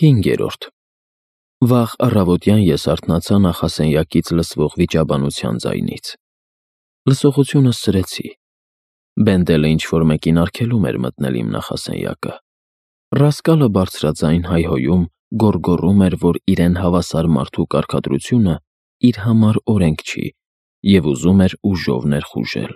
5. Վաղ առավոտյան ես արթնացա նախասենյակից լսվող վիճաբանության ձայնից։ Լսողությունը սրեցի։ Բենդելը ինչ-որ մեկին արգելում էր մտնել իմ նախասենյակը։ Ռասկալը բարձրաձայն հայհոյում, գոռգոռում էր, որ իրեն հավասար մարդու կարգադրությունը իր համար օրենք չի և ուզում էր ուժով ներխուժել։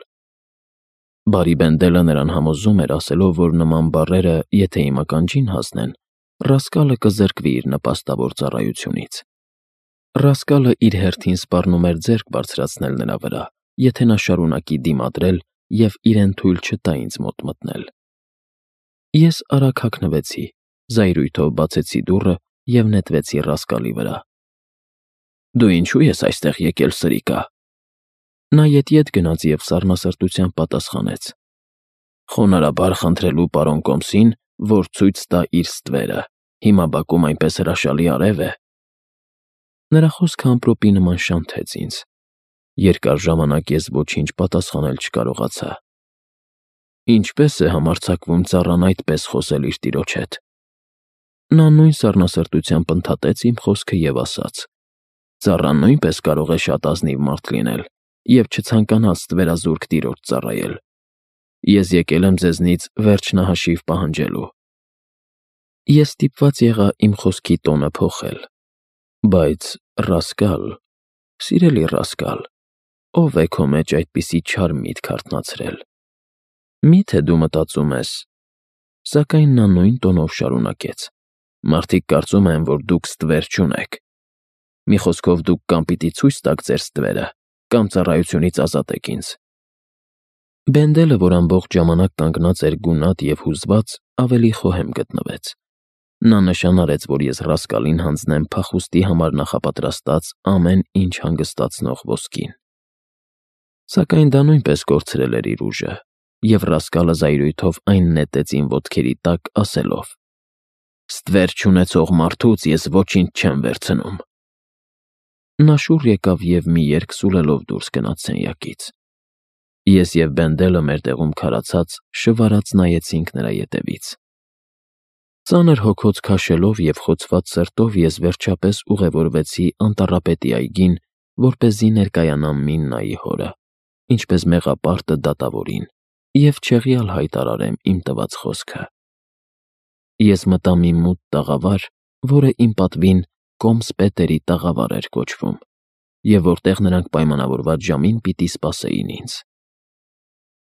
Բարի Բենդելը նրան համոզում էր, ասելով, որ նման բառերը, եթե իմ ականջին հասնեն, Ռասկալը կզրկվի իր նպաստավոր ծառայությունից։ Ռասկալը իր հերթին սպառնում էր ձեռք բարձրացնել նրա վրա, եթե նա շարունակի դիմադրել և իրեն թույլ չտա ինձ մոտ մտնել։ Ես արագ հագնվեցի, զայրույթով բացեցի դուռը և նետվեցի Ռասկալի վրա։ «Դու ինչու ես այստեղ եկել, սրիկա»։ Նա ետ գնաց և սառնասրտությամբ պատասխանեց. «Խոնարհաբար խնդրելու պարոն Կոմսին, որ ցույց տա իր ստվերը, հիմա բակում այնպես հրաշալի արև է»։ Նրա խոսքը ամպրոպի նման շանթեց ինձ։ Երկար ժամանակ ես ոչինչ պատասխանել չկարողացա։ Ինչպե՞ս է համարձակվում ծառան այդպես խոսել իր տիրոջ հետ։ Նա նույն սառնասրտությամբ ընդհատեց իմ խոսքը և ասաց. «Ծառան նույնպես կարող է շատ ազնիվ մարդ լինել և չցանկանալ ստվերազուրկ տիրոջ ծառայել։ Ես եկել եմ ձեզնից վերջնահաշիվ պահանջելու»։ Ես ստիպված եղա իմ խոսքի տոնը փոխել։ «Բայց, Ռասկալ, սիրելի Ռասկալ, ո՞վ է քո մեջ այդպիսի չար միտք արթնացրել։ Մի՞թե դու մտածում ես…» Սակայն նա նույն տոնով շարունակեց. «Մարդիկ կարծում են, որ դուք ստվեր չունեք։ Մի խոսքով, դուք կամ պիտի ցույց տաք ձեր ստվերը, կամ ծառայությունից ազատեք ինձ»։ Բենդելը, որ ամբողջ ժամանակ կանգնած էր գունատ և հուզված, ավելի խոհեմ գտնվեց։ Նա նշան արեց, որ ես Ռասկալին հանձնեմ փախուստի համար նախապատրաստած ամեն ինչ հանգստացնող ոսկին։ Սակայն դա նույնպես կորցրել էր իր ուժը, և Ռասկալը զայրույթով այն նետեց իմ ոտքերի տակ, ասելով. «Ստվեր չունեցող մարդուց ես ոչինչ չեմ վերցնում»։ Նա շուռ եկավ և մի երգ սուլելով դուրս գնաց սենյակից։ Ես և Բենդելը մեր տեղում քարացած, շվարած նայեցինք նրա ետևից։ Ծանր հոգոց քաշելով և խոցված սրտով ես վերջապես ուղևորվեցի անտառապետի այգին, որպեսզի ներկայանամ Միննայի հորը, ինչպես մեղապարտը դատավորին, և չեղյալ հայտարարեմ իմ տված խոսքը։ Ես մտա մի մութ տաղավար, որը իմ պատվին Կոմս Պետերի տաղավար էր կոչվում, և որտեղ նրանք պայմանավորված ժամին պիտի սպասեին ինձ։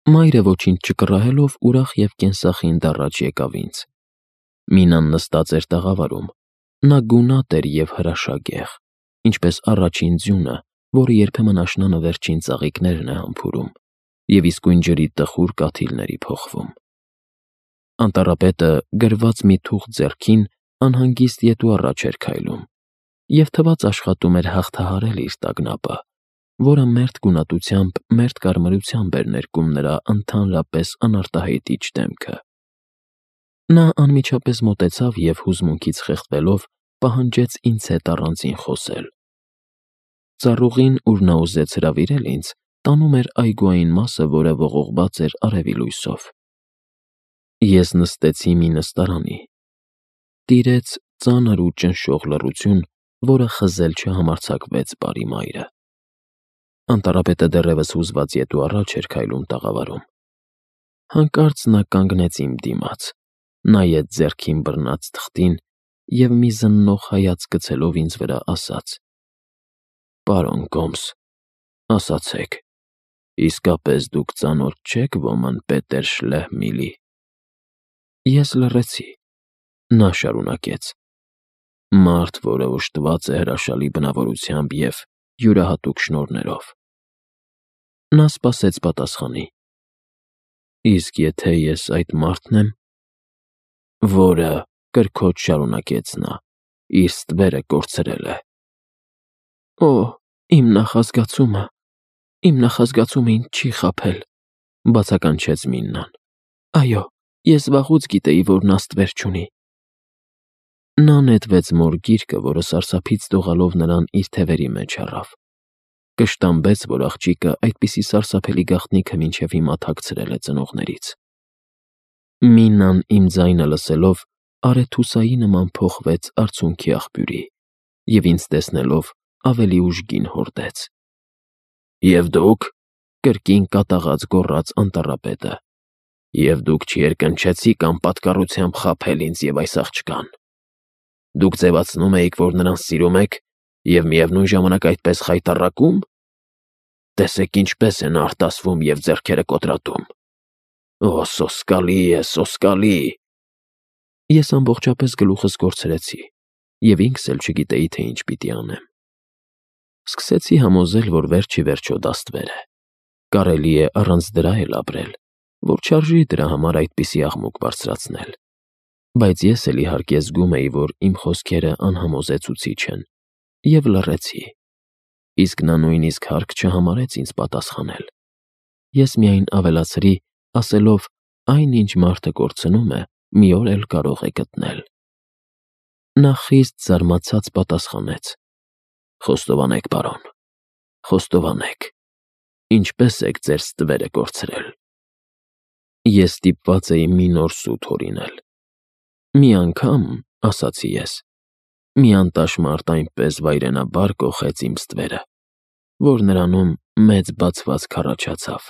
Մայրը ոչինչ չկռահելով ուրախ և կենսախինդ առաջ եկավ ինձ։ Մինան նստած էր տաղավարում։ Նա գունատ էր և հրաշագեղ, ինչպես առաջին ձյունը, որը երբեմն աշնանը վերջին ծաղիկներն է համբուրում և իսկույն ջրի տխուր կաթիլների փոխվում։ Անտառապետը, գրված մի թուղթ ձեռքին, անհանգիստ ետ ու առաջ էր քայլում և թվաց աշխատում էր հաղթահարել իր տագնապը, որը մերթ գունատությամբ, մերթ կարմրությամբ էր ներկում նրա ընդհանրապես անարտահայտիչ դեմքը։ Նա անմիջապես մոտեցավ և հուզմունքից խեղդվելով պահանջեց ինձ հետ առանձին խոսել։ Ծառուղին, ուր նա ուզեց հրավիրել ինձ, տանում էր այգու այն մասը, որը ողողված էր արևի լույսով։ Ես նստեցի մի նստարանի։ Տիրեց ծանր ու ճնշող լռություն, որը խզել չհամարձակվեց բարի մայրը։ Անտառապետը դեռևս հուզված ետ ու առաջ էր քայլում տաղավարում։ Հանկարծ նա կանգնեց իմ դիմաց, նայեց ձեռքին բռնած թղթին և մի զննող հայացք գցելով ինձ վրա, ասաց. «Պարոն Կոմս, ասացեք, իսկապես դուք ծանոթ չե՞ք ոմն Պետեր Շլեհմիլի»։ Ես լռեցի։ Նա շարունակեց. «Մարդ, որը օժտված է հրաշալի բնավորությամբ և յուրահատուկ շնորհներով»։ Նա սպասեց պատասխանի։ «Իսկ եթե ես այդ մարդն եմ»։ «Որը,» կրքոջ շարունակեց նա, «իր ստվերը կորցրել է»։ «Օ՜, իմ նախազգացումը ինձ չի խաբել», բացականչեց Միննան։ «Այո, ես վաղուց գիտեի, որ նա ստվեր չունի»։ Նա նետվեց մոր գիրկը, որը սարսափից դողալով նրան իր թևերի մեջ առավ։ Կշտամբեց, որ աղջիկը այդպիսի սարսափելի գաղտնիքը մինչև հիմա թաքցրել է ծնողներից։ Միննան իմ ձայնը լսելով արեթուսայի նման փոխվեց արցունքի աղբյուրի և ինձ տեսնելով ավելի ուժգին հորդեց։ «Եվ դուք», կրկին կատաղած գոռաց անտառապետը, «և դուք չերկնչեցիք անպատկառությամբ խաբել ինձ և այս աղջկան։ Դուք ձևացնում էիք, որ նրան սիրում եք և միևնույն ժամանակ այդպես խայտառակում։ Տեսեք ինչպես է նա արտասվում և ձեռքերը կոտրատում։ Օ, սոսկալի է, սոսկալի»։ Ես ամբողջապես գլուխս կորցրեցի և ինքս էլ չգիտեի, թե ինչ պիտի անեմ։ Սկսեցի համոզել, որ վերջ ի վերջո դա ստվեր է։ Կարելի է առանց դրա էլ ապրել, որ չարժի դրա համար այդպիսի աղմուկ բարձրացնել։ Բայց ես էլ իհարկե զգում էի, որ իմ խոսքերը անհամոզեցուցիչ են, և լռեցի։ Իսկ նա նույնիսկ հարկ չհամարեց ինձ պատասխանել։ Ես միայն ավելացրի, ասելով. «Այն, ինչ մարդը կորցնում է, մի օր էլ կարող է գտնել»։ Նա խիստ զարմացած պատասխանեց. «Խոստովանեք, պարոն, խոստովանեք, ինչպե՞ս եք ձեր ստվերը կորցրել»։ Ես ստիպված էի մի նոր սուտ հորինել։ «Մի անգամ, — ասացի ես, — մի անտաշ մարդ այնպես վայրենաբար կոխեց իմ ստվերը, որ նրանում մեծ բացվածք առաջացավ։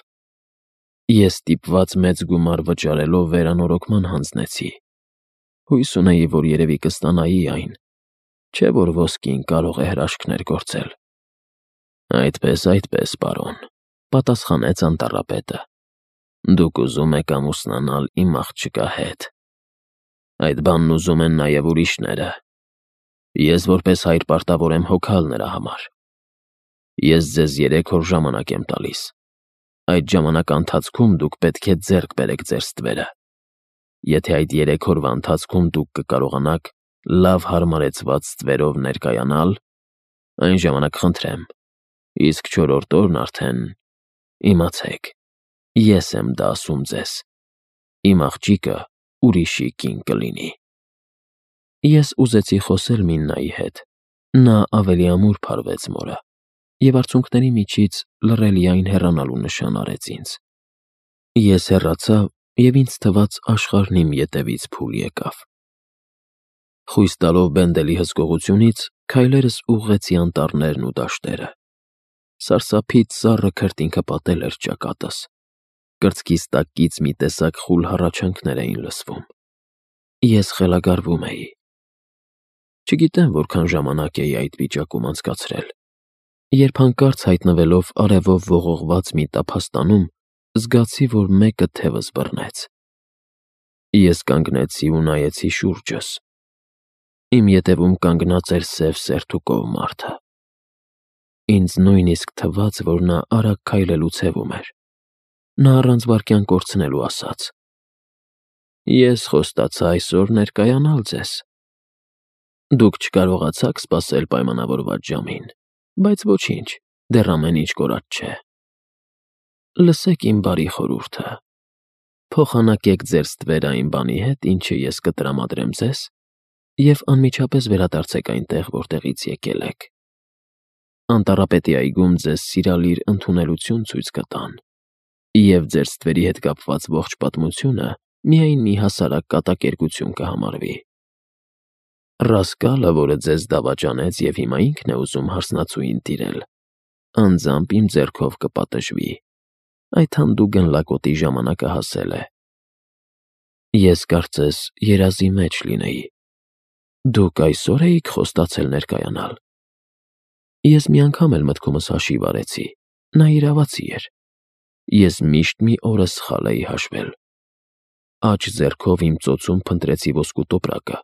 Ես ստիպված մեծ գումար վճարելով վերանորոգման հանձնեցի։ Հույս ունեի, որ երևի կստանայի այն, չէ՞ որ ոսկին կարող է հրաշքներ գործել»։ Այդպես, պարոն, — պատասխանեց անտառապետը, «դուք ուզում եք ամուսնանալ իմ աղջկա հետ։ Այդ բանն ուզում են նաև ուրիշները։ Ես որպես հայր պարտավոր եմ հոգալ նրա համար։ Ես ձեզ 3 օր ժամանակ եմ տալիս։ Այդ ժամանակի ընթացքում դուք պետք է ձեռք բերեք ձեր ստվերը։ Եթե այդ 3 օրվա ընթացքում դուք կկարողանաք լավ հարմարեցված ստվերով ներկայանալ, այն ժամանակ խնդրեմ, իսկ 4-րդ օրն արդեն, իմացեք, ես եմ դա ասում ձեզ, իմ աղջիկը ուրիշի կին կլինի»։ Ես ուզեցի խոսել Միննայի հետ։ Նա ավելի ամուր փարվեց մորը և արցունքների միջից լռելիայն հեռանալու նշան արեց ինձ։ Ես հեռացա, և ինձ թվաց աշխարհն իմ ետևից փուլ եկավ։ Խույս տալով Բենդելի հսկողությունից՝ քայլերս ուղղեցի անտառներն ու դաշտերը։ Սարսափից սառը քրտինքը պատել էր ճակատս։ Կրծքիս տակից մի տեսակ խուլ հառաչանքներ էին լսվում։ Ես խելագարվում էի։ Չգիտեմ որքան ժամանակ էի այդ վիճակում անցկացրել, երբ հանկարծ հայտնվելով արևով ողողված մի տափաստանում, զգացի, որ մեկը թևս բռնեց։ Ես կանգնեցի ու նայեցի շուրջս։ Իմ ետևում կանգնած էր սև սերտուկով մարդը։ Ինձ նույնիսկ թվաց, որ նա արագ քայլելուց հևում էր։ Նա առանց վայրկյան կորցնելու ասաց. «Ես խոստացա այսօր ներկայանալ ձեզ։ Դուք չկարողացաք սպասել պայմանավորված ժամին, բայց ոչինչ, դեռ ամեն ինչ կորած չէ։ Լսեք իմ բարի խորհուրդը. փոխանակեք ձեր ստվերը այն բանի հետ, ինչը ես կտրամադրեմ ձեզ, և անմիջապես վերադարձեք այնտեղ, որտեղից եկել եք։ Անտառապետի այգում ձեզ սիրալիր ընդունելություն ցույց կտան, և ձեր ստվերի հետ կապված ողջ պատմությունը միայն մի հասարակ կատակերգություն կհամարվի։ Ռասկալը, որը ձեզ դավաճանեց և հիմա ինքն է ուզում հարսնացուին տիրել, անձամբ իմ ձեռքով կպատժվի։ Այդ հանդուգն լակոտի ժամանակը հասել է։ Ես կարծես երազի մեջ լինեի։ Դուք այսօր էիք խոստացել ներկայանալ։ Ես մի անգամ էլ մտքումս հաշիվ արեցի, նա իրավացի էր։ Ես միշտ մի օրը սխալ էի հաշվել։ Աջ ձեռքով իմ ծոցում փնտրեցի ոսկու տոպրակը։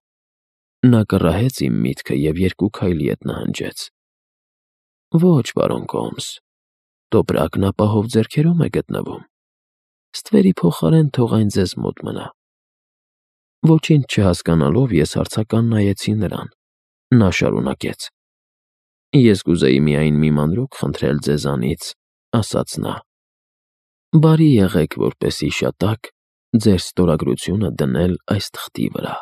Նա կռահեց իմ միտքը և 2 քայլի հետ նահանջեց։ Ոչ, պարոն Կոմս, տոպրակն ապահով ձեռքերում է գտնվում։ Ստվերի փոխարեն թող այն ձեզ մոտ մնա։ Ոչինչ չհասկանալով ես հարցական նայեցի նրան։ Նա շարունակեց. «Ես կուզեի միայն մի մանրուք խնդրել ձեզանից», — ասաց նա։ «Բարի եղեք, որպեսզի շատակ ձեր ստորագրությունը դնել այս թղթի վրա»։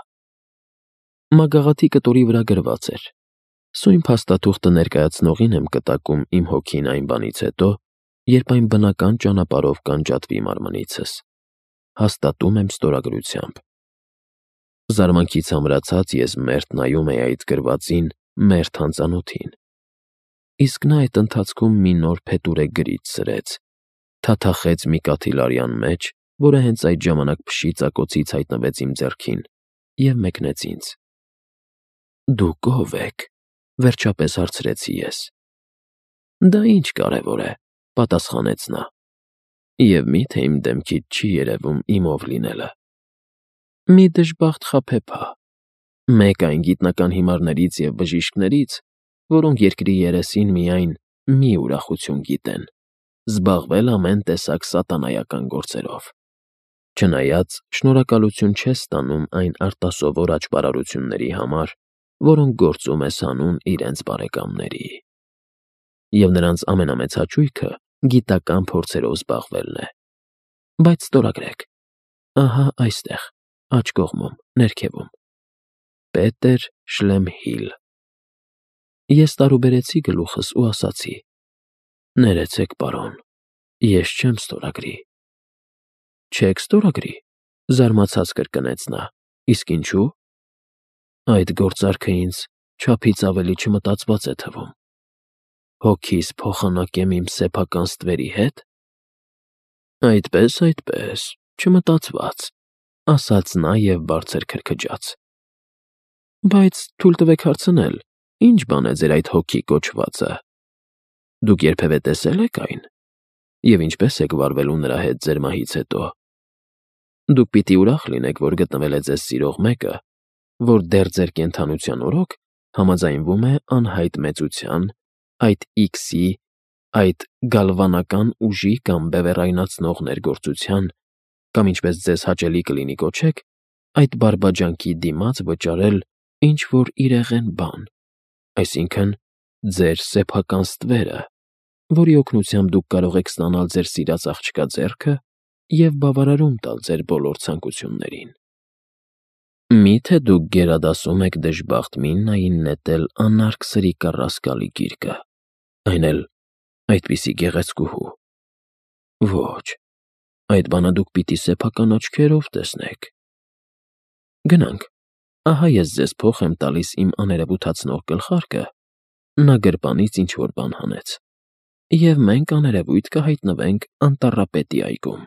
Մագաղաթի կտորի վրա գրված էր. «Սույն փաստաթուղթը ներկայացնողին եմ կտակում իմ հոգին այն բանից հետո, երբ այն բնական ճանապարհով կանջատվի մարմնիցս։ Հաստատում եմ ստորագրությամբ»։ Զարմանքից ամրացած ես մերթ նայում էի այդ գրվածին մերթ անծանոթին։ Իսկ նա այդ ընթացքում մի նոր փետուրե գրիչ սրեց, թաթախեց մի կաթիլարյան մեջ, որը հենց այդ ժամանակ փշի ծակոցից հայտնվեց իմ ձեռքին, և մեկնեց ինձ։ «Դուք ո՞վ եք», վերջապես հարցրեցի ես։ «Դա ինչ կարևոր է», պատասխանեց նա։ «Եվ միթե իմ դեմքից չի երևում իմ ով լինելը»։ Մի դժբախտ խաբեբա, մեկ այն գիտնական հիմարներից և բժիշկներից, որոնք երկրի երեսին միայն մի ուրախություն գիտեն՝ զբաղվել ամեն տեսակ սատանայական գործերով։ Չնայած շնորհակալություն չես ստանում այն արտասովոր աճպարարությունների համար, որոնք գործում ես անում իրենց բարեկամների։ Եվ նրանց ամենամեծ հաճույքը գիտական փորձերով զբաղվելն է։ Բայց ստորագրեք, ահա այստեղ, աջ կողմում, ներքևում. Պետեր Շլեմհիլ։ Ես տարուբերեցի գլուխս ու ասացի. «Ներեցեք, պարոն, ես չեմ ստորագրի»։ «Չեք ստորագրի», զարմացած կրկնեց նա, «իսկ ինչու»։ «Այդ գործարքը ինձ չափից ավելի չմտածված է թվում»։ «Հոգիս փոխանակեմ իմ սեփական ստվերի հետ»։ Այդպես, չմտածված, ասաց նա և բարձր քրքջաց։ Բայց թույլ տվեք հարցնել, ինչ բան է ձեր այդ հոգի կոչվածը։ Դուք երբևէ տեսել եք այն։ Եվ ինչպես եք վարվելու նրա հետ ձեր մահից հետո։ Դուք պիտի ուրախ լինեք, որ գտնվել է ձեզ սիրող մեկը, որ դեռ ձեր կենդանության օրոք համաձայնվում է անհայտ մեծության, այդ X-ի, այդ գալվանական ուժի կամ բևեռայնացնող ներգործության, կամ ինչպես ձեզ հաճելի կլինի կոչեք, այդ բարբաջանքի դիմաց վճարել ինչ-որ իրեղեն բան, այսինքն ձեր սեփական ստվերը, որի օգնությամբ դուք կարող եք ստանալ ձեր սիրած աղջկա ձեռքը և բավարարում տալ ձեր բոլոր ցանկություններին։ Մի՞թե դուք գերադասում եք դժբախտ Միննային նետել անարգ սրի կառասկալի գիրկը, այն էլ այդպիսի գեղեցկուհու։ Ոչ, այդ բանը դուք պիտի սեփական աչքերով տեսնեք։ Գնանք, ահա ես ձեզ փոխ եմ տալիս իմ աներևութացնող գլխարկը, նա գրպանից ինչ-որ բան հանեց, և մենք աներևույթ կհայտնվենք Անտառապետի այգում։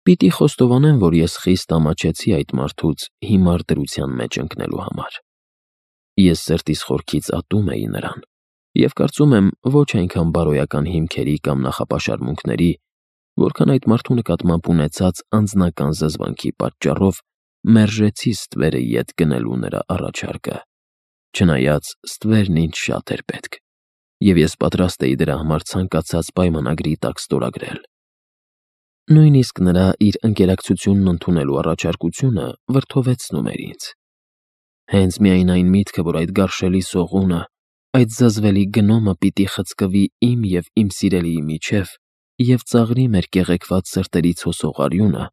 Պիտի խոստովանեմ, որ ես խիստ ամաչեցի այդ մարդուց հիմար դրության մեջ ընկնելու համար։ Ես սրտիս խորքից ատում էի նրան, և կարծում եմ ոչ այնքան բարոյական հիմքերի կամ նախապաշարմունքների, որքան այդ մարդու նկատմամբ ունեցած անձնական զզվանքի պատճառով մերժեցի ստվերը ետ գնելու նրա առաջարկը, չնայած ստվերն ինձ շատ էր պետք, և ես պատրաստ էի դրա համար ցանկացած պայմանագրի տակ ստորագրել։ Նույնիսկ նրա իր ընկերակցությունն ընդունելու առաջարկությունը վրդովեցնում էր ինձ։ Հենց միայն այն միտքը, որ այդ գարշելի սողունը, այդ զզվելի գնոմը պիտի խցկվի իմ և իմ սիրելիի միջև և ծաղրի մեր կեղեքված սրտերից հոսող արյունը,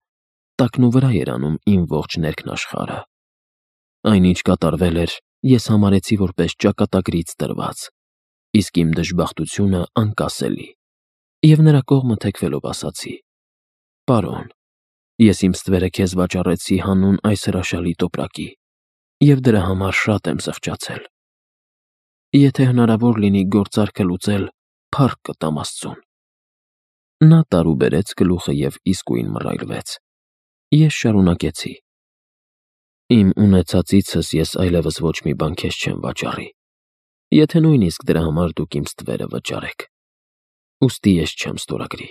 տակնուվրա էր անում իմ ողջ ներքնաշխարհը։ Այնինչ կատարվել էր, ես համարեցի որպես ճակատագրից տրված, իսկ իմ դժբախտությունը անկասելի, և նրա կողմը թեքվելով ասացի. «Պարոն, ես իմ ստվերը քեզ վաճառեցի հանուն այս հրաշալի տոպրակի, և դրա համար շատ եմ զղջացել։ Եթե հնարավոր լինի գործարքը լուծել, փառք կտամ Աստծուն»։ Նա տարուբերեց գլուխը և իսկույն մռայլվեց։ Ես շարունակեցի. «Իմ ունեցածիցս ես այլևս ոչ մի բան քեզ չեմ վաճառի, եթե նույնիսկ դրա համար դուք իմ ստվերը վճարեք, ուստի ես չեմ ստորագրի։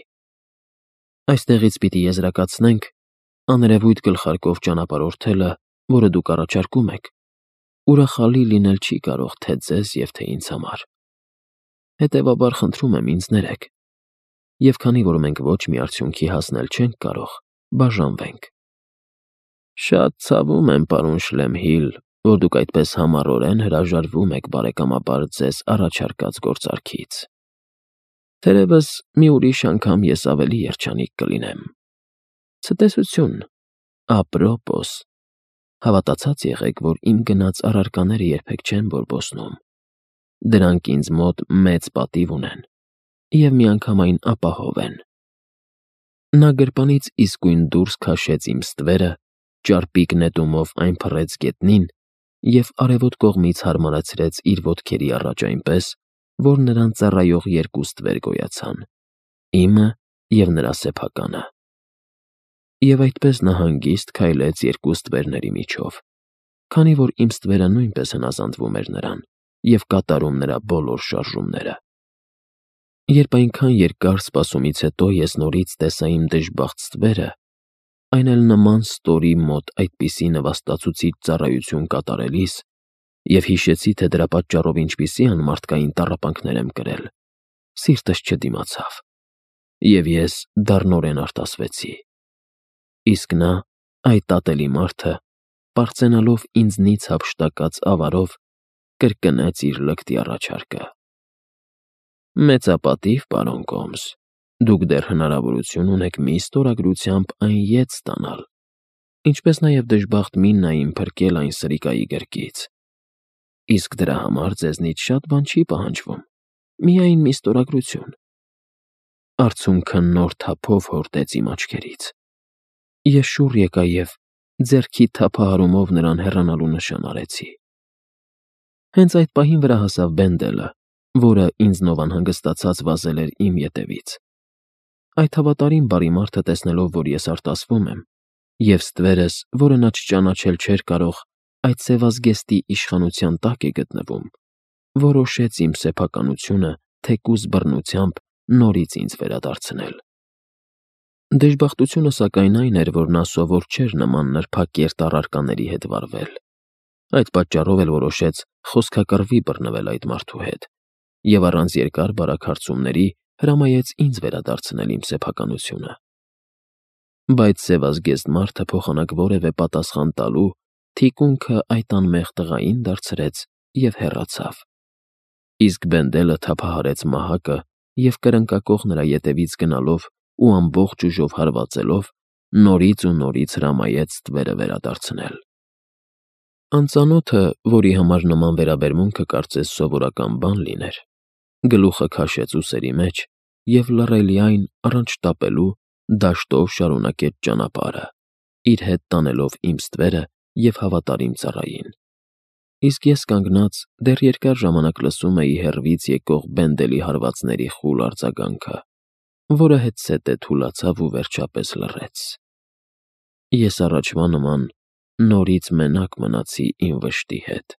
Այստեղից պիտի եզրակացնենք, աներևույթ գլխարկով ճանապարհորդելը, որը դուք առաջարկում եք, ուրախալի լինել չի կարող թե ձեզ և թե ինձ համար։ Հետևաբար խնդրում եմ ինձ ներեք, և քանի որ մենք ոչ մի արդյունքի հասնել չենք կարող, բաժանվենք»։ Շատ ցավում եմ, պարոն Շլեմհիլ, որ դուք այդպես համառորեն հրաժարվում եք բարեկամաբար ձեզ առաջարկած գործարքից։ Թերևս մի ուրիշ անգամ ես ավելի երջանիկ կլինեմ։ Ցտեսություն, ապրոպոս, հավատացած եղեք, որ իմ գնած առարկաները երբեք չեն բորբոսնում։ Դրանք ինձ մոտ մեծ պատիվ ունեն և միանգամայն ապահով են։ Նա գրպանից իսկույն դուրս քաշեց իմ ստվերը Ճարպիկ նետումով այն փռեց գետնին և արևոտ կողմից հարմարացրեց իր ոտքերի առաջ այնպես, որ նրան ծառայող երկու ստվեր գոյացան. իմը և նրա սեփականը։ Եվ այդպես նա հանգիստ քայլեց երկու ստվերների միջով, քանի որ իմ ստվերը նույնպես հնազանդվում էր նրան և կատարում նրա բոլոր շարժումները։ Երբ այնքան երկար սպասումից հետո ես նորից տեսա իմ դժբախտ ստվերը, այն էլ նման ստորի մոտ այդպիսի նվաստացուցիչ ծառայություն կատարելիս, և հիշեցի, թե դրա պատճառով ինչպիսի անմարդկային տառապանքներ եմ կրել, սիրտս չդիմացավ, և ես դառնորեն արտասվեցի։ Իսկ նա, այդ ատելի մարդը, պարծենալով ինձնից հափշտակած ավարով, կրկնեց իր լկտի առաջարկը. «Մեծապատիվ, պարոն Կոմս, դուք դեռ հնարավորություն ունեք մի ստորագրությամբ այն ետ ստանալ, ինչպես նաև դժբախտ Միննային փրկել այն սրիկայի գրկից։ Իսկ դրա համար ձեզնից շատ բան չի պահանջվում, միայն մի ստորագրություն»։ Արցունքը նոր թափով հորդեց իմ աչքերից։ Ես շուռ եկա և ձեռքի թափահարումով նրան հեռանալու նշան արեցի։ Հենց այդ պահին վրա հասավ Բենդելը, որը ինձնով անհանգստացած վազել էր իմ ետևից։ Այդ հավատարիմ բարի մարդը, տեսնելով, որ ես արտասվում եմ, և ստվերս, որը նա չճանաչել չէր կարող, այդ սևազգեստի իշխանության տակ է գտնվում, որոշեց իմ սեփականությունը թեկուզ բռնությամբ նորից ինձ վերադարձնել։ Դժբախտությունը, սակայն, այն էր, որ նա սովոր չէր նման նրբակերտ առարկաների հետ վարվել։ Այդ պատճառով էլ որոշեց խոսքակռվի բռնվել այդ մարդու հետ և առանց երկար բարակ հարցումների հրամայեց ինձ վերադարձնել իմ սեփականությունը։ Բայց սևազգեստ մարդը փոխանակ որևէ պատասխան տալու, թիկունքը այդ անմեղ տղային դարձրեց և հեռացավ։ Իսկ Բենդելը թափահարեց մահակը և կրնկակոխ նրա ետևից գնալով ու ամբողջ ուժով հարվածելով, նորից ու նորից հրամայեց ստվերը վերադարձնել։ Անծանոթը, որի համար նման վերաբերմունքը կարծես սովորական բան լիներ, գլուխը քաշեց ուսերի մեջ և լռելիայն, առանց շտապելու, դաշտով շարունակեց ճանապարհը, իր հետ տանելով իմ ստվերը և հավատարիմ ծառային։ Իսկ ես կանգնած դեռ երկար ժամանակ լսում էի հեռվից եկող Բենդելի հարվածների խուլ արձագանքը, որը հետզհետե թուլացավ ու վերջապես լռեց։ Ես առաջվա նման նորից մենակ մնացի իմ վշտի հետ։